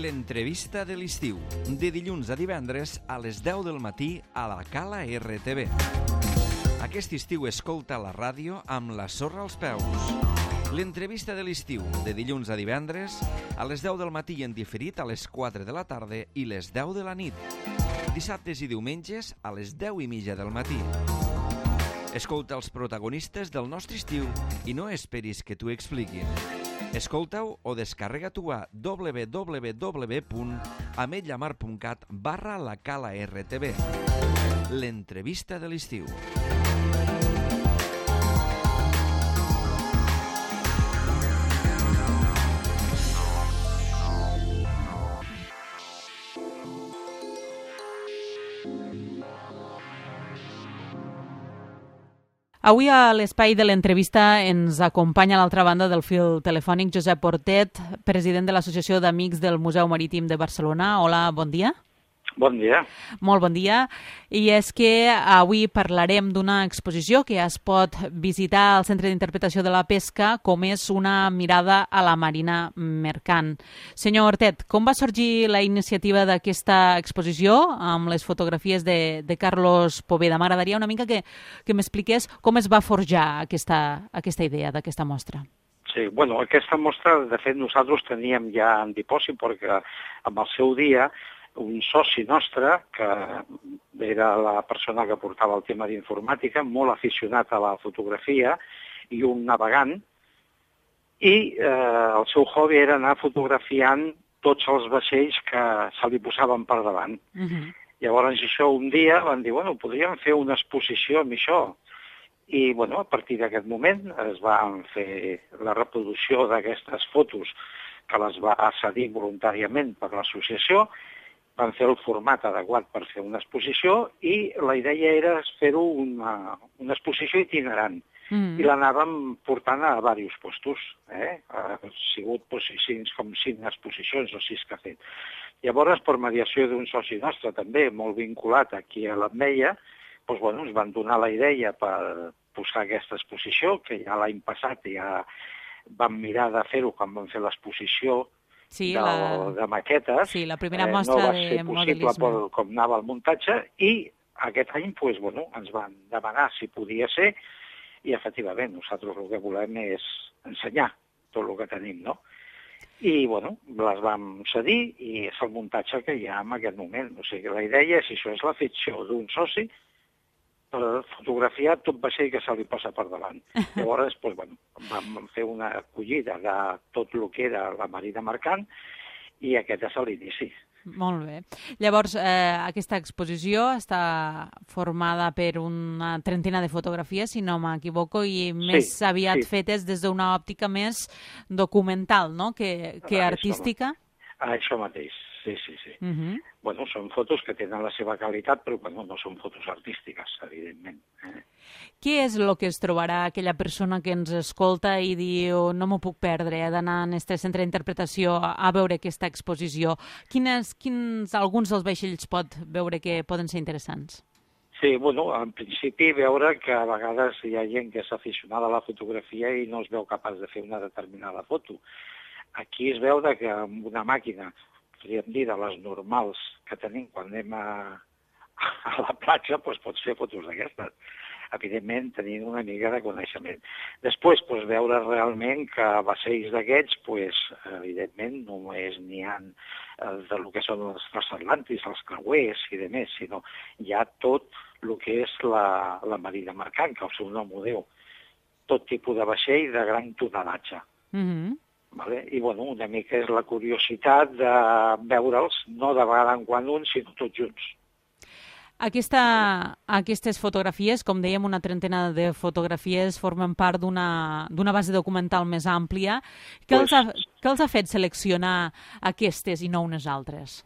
L'entrevista de l'estiu, de dilluns a divendres a les 10 del matí a la Cala RTV. Aquest estiu escolta la ràdio amb la sorra als peus. L'entrevista de l'estiu, de dilluns a divendres a les 10 del matí i en diferit a les 4 de la tarda i les 10 de la nit. Dissabtes i diumenges a les 10:30 del matí. Escolta els protagonistes del nostre estiu i no esperis que t'ho expliquin. Escolta-ho o descarrega-t'ho a www.ametlllamar.cat/la Cala RTV. L'entrevista de l'estiu. Avui a l'espai de l'entrevista ens acompanya a l'altra banda del fil telefònic Josep Portet, president de l'Associació d'Amics del Museu Marítim de Barcelona. Hola, bon dia. Bon dia. Molt bon dia. I és que avui parlarem d'una exposició que es pot visitar al Centre d'Interpretació de la Pesca, com és una mirada a la marina mercant. Senyor Hortet, com va sorgir la iniciativa d'aquesta exposició amb les fotografies de Carlos Poveda? M'agradaria una mica que m'expliqués com es va forjar aquesta idea d'aquesta mostra. Sí, bueno, aquesta mostra, de fet, nosaltres teníem ja en dipòsit, perquè amb el seu dia un soci nostre, que era la persona que portava el tema d'informàtica, molt aficionat a la fotografia i un navegant, i el seu hobby era anar fotografiant tots els vaixells que se li posaven per davant. Llavors, això un dia van dir, bueno, podríem fer una exposició amb això. I, bueno, a partir d'aquest moment es van fer la reproducció d'aquestes fotos que les va cedir voluntàriament per l'associació, van fer el format adequat per fer una exposició i la idea era fer-ho una exposició itinerant. I l'anàvem portant a diversos puestos. Ha sigut com 5 exposicions o 6 que ha fet. Llavors, per mediació d'un soci nostre també, molt vinculat aquí a l'Ametlla, ens van donar la idea per posar aquesta exposició, que ja l'any passat ja vam mirar de fer-ho quan vam fer l'exposició de maquetes. Sí, la primera mostra de modelisme. No va ser possible com anava el muntatge i aquest any ens van demanar si podia ser i efectivament nosaltres el que volem és ensenyar tot el que tenim, no? I les vam cedir i és el muntatge que hi ha en aquest moment. O sigui, la idea és, això és la ficció d'un soci per fotografiar tot vaixell que se li posa per davant. Llavors, vam fer una acollida de tot el que era la marina mercant i aquest és l'inici. Molt bé. Llavors, aquesta exposició està formada per una trentena de fotografies, si no m'equivoco, i més aviat fetes des d'una òptica més documental, no?, que artística. Això mateix, sí. Són fotos que tenen la seva qualitat, però no són fotos artístiques, evidentment. Què és el que es trobarà aquella persona que ens escolta i diu no m'ho puc perdre, he d'anar a aquest centre d'interpretació a veure aquesta exposició? Alguns dels vaixells pot veure que poden ser interessants? Sí, en principi veure que a vegades hi ha gent que és aficionada a la fotografia i no es veu capaç de fer una determinada foto. Aquí es veu que amb una màquina, podríem dir, de les normals que tenim quan anem a la platja, pots fer fotos d'aquestes. Evidentment, tenint una mica de coneixement. Després, veure realment que vaixells d'aquests, evidentment, només n'hi ha del que són els transatlàntics, els creuers i demés, sinó hi ha tot el que és la marina mercant, que el seu nom ho diu. Tot tipus de vaixell de gran tonadatge. I, una mica és la curiositat de veure'ls, no de vegada en quan uns, sinó tots junts. Aquestes fotografies, com dèiem, una trentena de fotografies, formen part d'una base documental més àmplia. Què els ha fet seleccionar aquestes i no unes altres?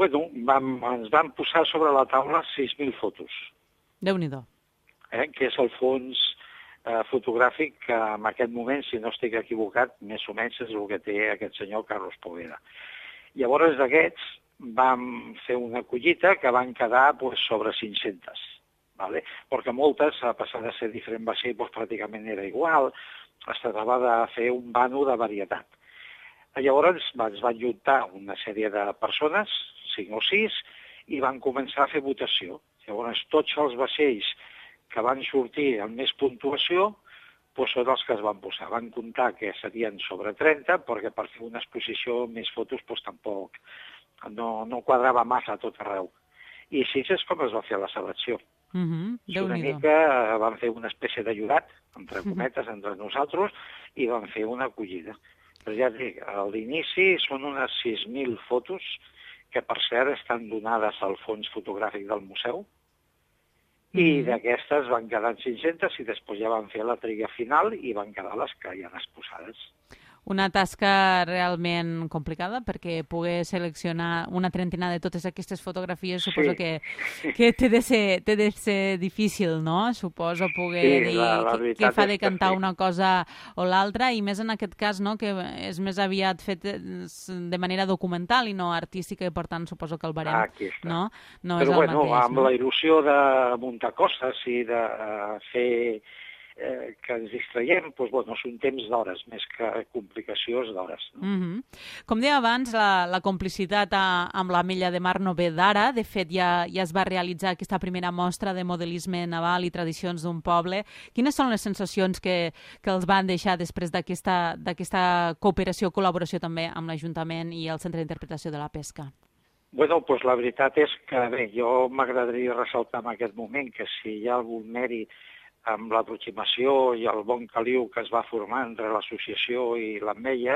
Ens van posar sobre la taula 6.000 fotos. Déu-n'hi-do. Que és el fons fotogràfic que en aquest moment, si no estic equivocat, més o menys és el que té aquest senyor Carlos Poveda. Llavors d'aquests vam fer una collita que van quedar sobre 500, perquè moltes, a pesar de ser diferent vaixell, pràcticament era igual, es tractava de fer un vano de varietat. Llavors es van juntar una sèrie de persones, 5 o 6, i van començar a fer votació. Llavors tots els vaixells que van sortir amb més puntuació doncs són els que es van posar. Van comptar que serien sobre 30, perquè per fer una exposició més fotos doncs tampoc no quadrava massa a tot arreu. I així és com es va fer la selecció. Una mica van fer una espècie de jurat, entre cometes, entre nosaltres, i van fer una acollida. Però ja et dic, a l'inici són unes 6.000 fotos, que per cert estan donades al fons fotogràfic del museu, i d'aquestes van quedar 500 i després ja van fer la tria final i van quedar les que hi han exposades. Una tasca realment complicada, perquè poder seleccionar una trentena de totes aquestes fotografies suposo que té de ser difícil, no? Suposo poder dir què fa de cantar una cosa o l'altra, i més en aquest cas, no?, que és més aviat fet de manera documental i no artística, i per tant suposo que el barem no és el mateix. Però amb la il·lusió de muntar coses i de fer que ens distraiem, doncs, són temps d'hores, més que complicacions d'hores. No? Com deia abans, la complicitat amb l'Ametlla de Mar no ve d'ara. De fet, ja es va realitzar aquesta primera mostra de modelisme naval i tradicions d'un poble. Quines són les sensacions que els van deixar després d'aquesta cooperació, col·laboració també amb l'Ajuntament i el Centre d'Interpretació de la Pesca? Bueno, doncs la veritat és que, bé, jo m'agradaria ressaltar en aquest moment que si hi ha algun mèrit amb l'aproximació i el bon caliu que es va formar entre l'associació i l'Ametlla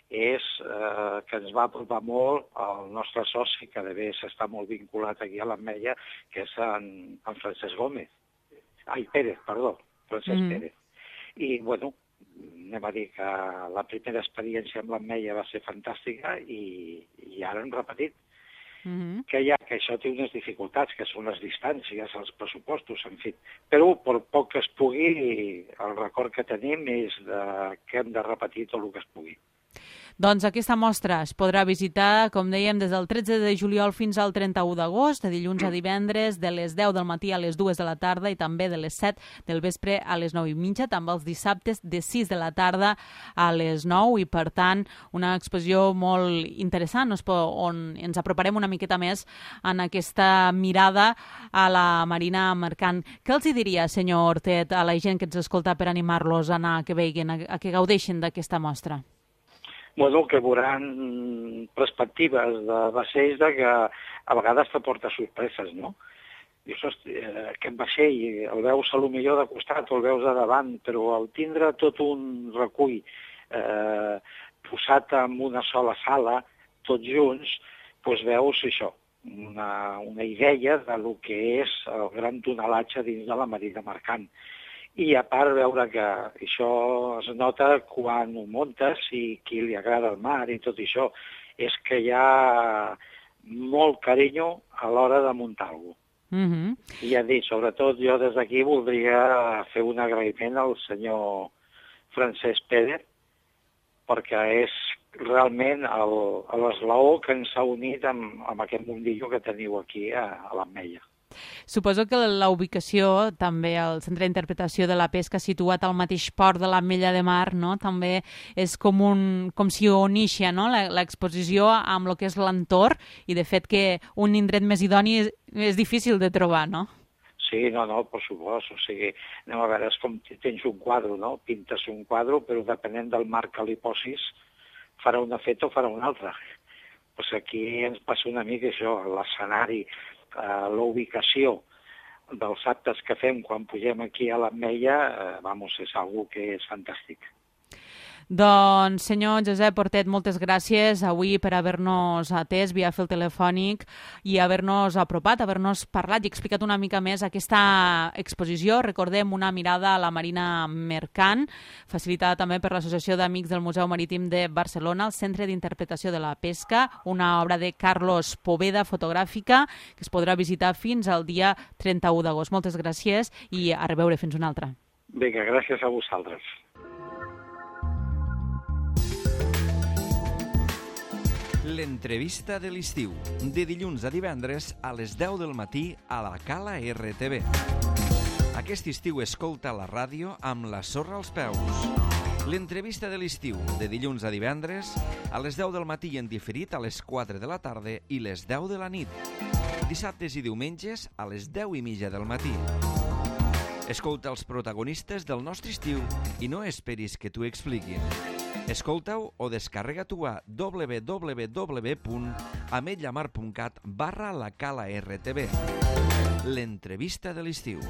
és que ens va apropar molt el nostre soci, que de bé està molt vinculat aquí a l'Ametlla, que és en Francesc Gómez. Pérez. Pérez. I, bueno, anem a dir que la primera experiència amb l'Ametlla va ser fantàstica i ara hem repetit. Que això té unes dificultats, que són les distàncies, els pressupostos, en fi. Però, per poc que es pugui, el record que tenim és que hem de repetir tot el que es pugui. Doncs aquesta mostra es podrà visitar, com dèiem, des del 13 de juliol fins al 31 d'agost, de dilluns a divendres, de les 10 del matí a les 2 de la tarda i també de les 7 del vespre a les 9:30, també els dissabtes de 6 de la tarda a les 9, i per tant una exposició molt interessant on ens aproparem una miqueta més en aquesta mirada a la marina mercant. Què els diria, senyor Hortet, a la gent que ens escolta per animar-los a anar, que veguin, a que gaudeixin d'aquesta mostra? Bueno, que veuran perspectives de vaixells que a vegades t'aporta sorpreses, no? Dius, aquest vaixell el veus a lo millor de costat o el veus de davant, però al tindre tot un recull posat en una sola sala, tots junts, doncs veus això, una idea de lo que és el gran tonelatge dins de la marina mercant. I a part veure que això es nota quan ho muntes i qui li agrada el mar i tot això, és que hi ha molt carinyo a l'hora de muntar alguna cosa. I ja dic, sobretot jo des d'aquí voldria fer un agraïment al senyor Francesc Pérez, perquè és realment l'esglaó que ens ha unit amb aquest mundillo que teniu aquí a l'Ametlla. Suposo que la ubicació, també al Centre d'Interpretació de la Pesca, situat al mateix port de l'Ametlla de Mar, no? També és com si unixia, no?, l'exposició amb el que és l'entorn, i de fet que un indret més idoni és difícil de trobar, no? Sí, no, per supost. O sigui, anem a veure, és com tens un quadre, no? Pintes un quadre, però depenent del marc que li posis, farà un efecte o farà un altre. Pues aquí ens passa una mica això, l'escenari, la ubicació dels actes que fem quan pugem aquí a l'Ametlla, és algo que és fantàstic. Doncs, senyor Josep Hortet, moltes gràcies avui per haver-nos atès via fil telefònic i haver-nos apropat, haver-nos parlat i explicat una mica més aquesta exposició. Recordem, una mirada a la marina mercant, facilitada també per l'Associació d'Amics del Museu Marítim de Barcelona, el Centre d'Interpretació de la Pesca, una obra de Carlos Poveda, fotogràfica, que es podrà visitar fins al dia 31 d'agost. Moltes gràcies i a reveure, fins una altra. Vinga, gràcies a vosaltres. L'entrevista de l'estiu, de dilluns a divendres a les 10 del matí a la Cala RTV. Aquest estiu escolta la ràdio amb la sorra als peus. L'entrevista de l'estiu, de dilluns a divendres, a les 10 del matí i en diferit a les 4 de la tarda i les 10 de la nit. Dissabtes i diumenges a les 10:30 del matí. Escolta els protagonistes del nostre estiu i no esperis que t'ho expliquin. Escolta-ho o descarrega-t'ho a www.ametllamar.cat/la Cala RTV. L'entrevista de l'estiu.